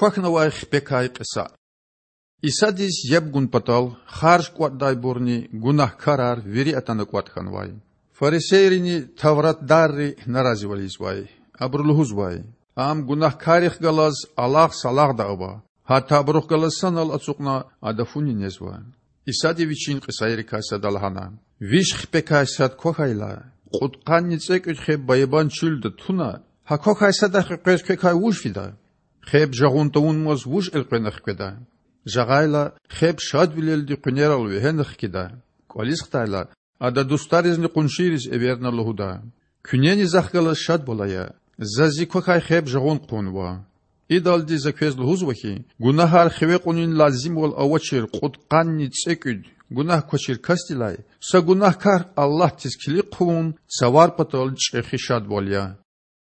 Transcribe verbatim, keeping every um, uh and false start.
Квахьнавай хипекай кьиса. Исадиз яб гун патал харж кІватІдайбурни гунагькарар вири атана кІватІ хьанвай. Фарисейрини тавратдарри наразивал ийизвай. Абуру лугьузвай: Ам гунагькаррихъ галаз алагъ-салагъда ава, гьатта абурухъ галаз санал ацукьна Ада фуни незва. Исади Вичин кьисайрикай сада лагьана: Виш хипекай сад квахьайла, кьудкъанни цІекІуьд хеб баябан чуьлда туна, гьа квахьай садахъ къекъвез квекай вуж фида? Хеб жагъун тавунмаз вуж элкъвена хкведа? Жагъайла, хеб шадвилелди къуьнерал вегьена хкида. КІвализ хтайла, ада дустаризни къуншийриз эверна лугьуда: Куьнени Захъ галаз шадвал ая, Заз Зи квахьай хеб жагъун хъувунва. Идалди За квез лугьузва хьи, гунагьар хиве кьунин лазимвал авачир кьудкъанни цІекІуьд гунагь квачир касдилай са гунагькар Аллагьдиз килиг хъувун цавар патал чІехи шадвал я.